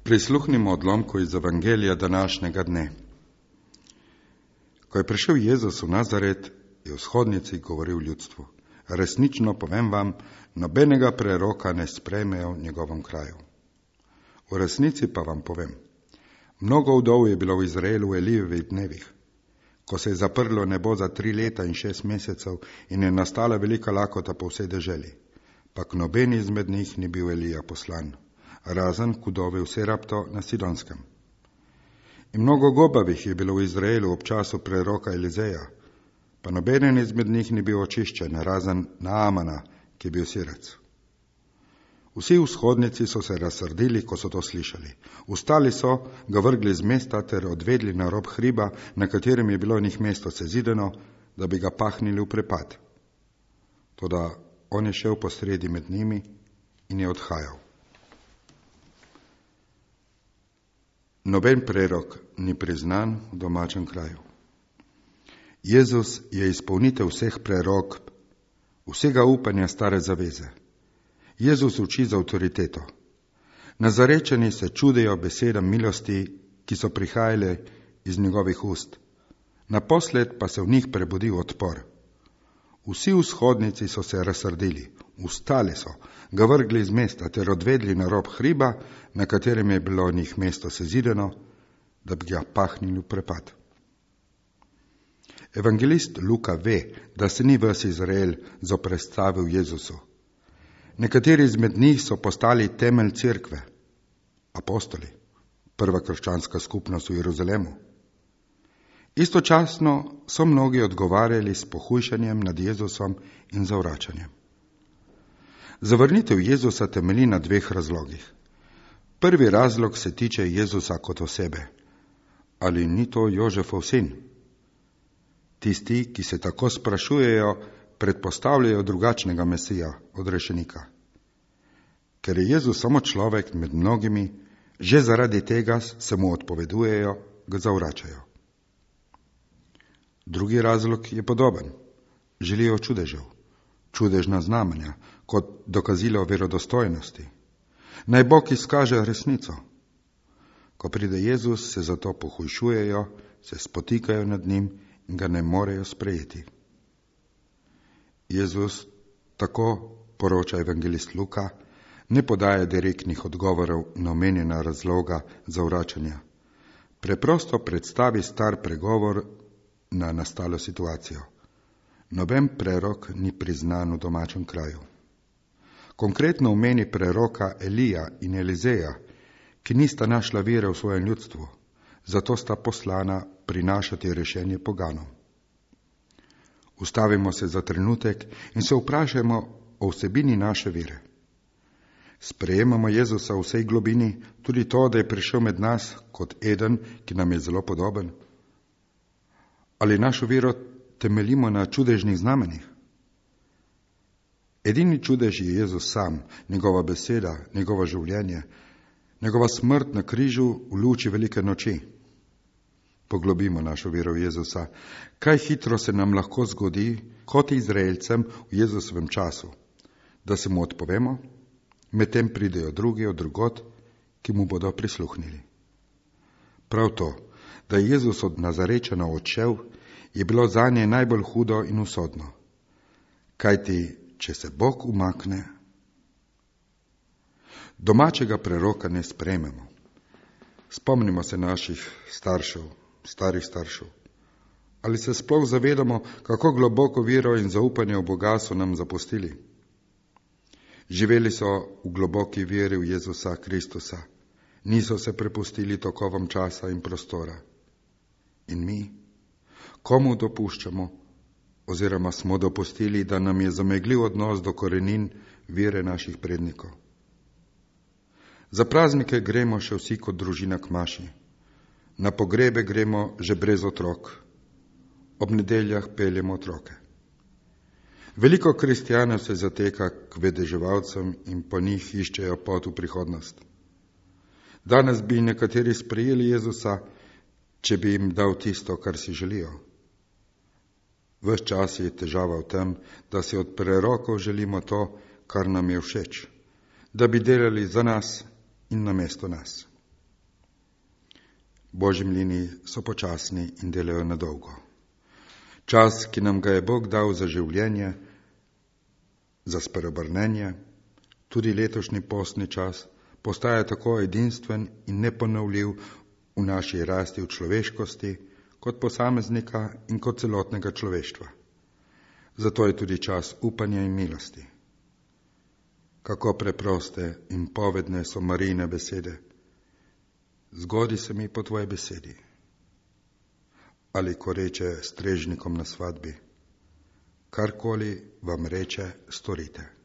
Prisluhnimo odlomku iz Evangelija današnjega dne. Ko je prišel Jezus v Nazaret, je v shodnici govoril ljudstvu: resnično povem vam, nobenega preroka ne sprejmejo v njegovem kraju. V resnici pa vam povem, mnogo vdov je bilo v Izraelu v Elijevih dnevih, ko se je zaprlo nebo za 3 leta in 6 mesecev in je nastala velika lakota po vsej deželi, pa k nobeni izmed njih ni bil Elija poslan, razen k vdovi v Serapto na Sidonskem. In mnogo gobavih je bilo v Izraelu ob času preroka Elizeja, pa nobenen izmed njih ni bil očiščen, razen Naamana, ki je bil Sirec. Vsi v shodnici so se razsrdili, ko so to slišali. Vstali so, ga vrgli z mesta ter odvedli na rob hriba, na katerem je bilo njih mesto sezidano, da bi ga pahnili v prepad. Toda on je šel posredi med njimi in je odhajal. Noben prerok ni priznan v domačem kraju. Jezus je izpolnitev vseh prerok, vsega upanja stare zaveze. Jezus uči z avtoriteto. Nazarečani se čudijo besedam milosti, ki so prihajale iz njegovih ust. Naposled pa se v njih prebudil odpor. Vsi v shodnici so se razsrdili, vstali so, ga vrgli iz mesta ter odvedli na rob hriba, na katerem je bilo njih mesto sezidano, da bi ga pahnili v prepad. Evangelist Luka ve, da se ni ves Izrael zoperstavil Jezusu. Nekateri izmed njih so postali temelj cerkve, apostoli, prva krščanska skupnost v Jeruzalemu. Istočasno so mnogi odgovarjali s pohujšanjem nad Jezusom in zavračanjem. Zavrnitev Jezusa temelji na 2 razlogih. Prvi razlog se tiče Jezusa kot osebe. Ali ni to Jožefov sin? Tisti, ki se tako sprašujejo, predpostavljajo drugačnega Mesija, odrešenika. Ker je Jezus samo človek med mnogimi, že zaradi tega se mu odpovedujejo, ga zavračajo. Drugi razlog je podoben. Želijo čudežev, čudežna znamenja, kot dokazilo verodostojnosti. Naj Bog izkaže resnico. Ko pride Jezus, se zato pohujšujejo, se spotikajo nad njim in ga ne morejo sprejeti. Jezus, tako poroča evangelist Luka, ne podaja direktnih odgovorov na omenjena razloga zavračanja. Preprosto predstavi star pregovor na nastalo situacijo. Noben prerok ni priznan v domačem kraju. Konkretno omeni preroka Elija in Elizeja, ki nista našla vire v svojem ljudstvu, zato sta poslana prinašati rešenje poganom. Ustavimo se za trenutek in se vprašajmo o vsebini naše vire. Sprejemamo Jezusa v vsej globini, tudi to, da je prišel med nas kot eden, ki nam je zelo podoben? Ali našo vero temeljimo na čudežnih znamenjih? Edini čudež je Jezus sam, njegova beseda, njegovo življenje, njegova smrt na križu v luči velike noči. Poglobimo našo vero v Jezusa. Kaj hitro se nam lahko zgodi, kot Izraelcem v Jezusovem času, da se mu odpovemo, medtem pridejo drugi od drugod, ki mu bodo prisluhnili. Prav to, da je Jezus od Nazarečana odšel, je bilo zanje najbolj hudo in usodno. Kajti, če se Bog umakne, domačega preroka ne sprejmemo. Spomnimo se naših starih staršev. Ali se sploh zavedamo, kako globoko vero in zaupanje v Boga so nam zapustili? Živeli so v globoki veri v Jezusa Kristusa, niso se prepustili tokovom časa in prostora. In mi, komu dopuščamo, oziroma smo dopustili, da nam je zamegljiv odnos do korenin vere naših prednikov? Za praznike gremo še vsi kot družina k maši. Na pogrebe gremo že brez otrok. Ob nedeljah peljemo otroke. Veliko kristjanov se zateka k vedeževalcem in po njih iščejo pot v prihodnost. Danes bi nekateri sprejeli Jezusa, če bi jim dal tisto, kar si želijo. Ves čas je težava v tem, da si od prerokov želimo to, kar nam je všeč, da bi delali za nas in namesto nas. Božji mlini so počasni in delajo na dolgo. Čas, ki nam ga je Bog dal za življenje, za spreobrnenje, tudi letošnji postni čas, postaja tako edinstven in neponovljiv v naši rasti v človeškosti, kot posameznika in kot celotnega človeštva. Zato je tudi čas upanja in milosti. Kako preproste in povedne so Marijine besede. Zgodi se mi po tvoji besedi. Ali ko reče strežnikom na svadbi, karkoli vam reče, storite.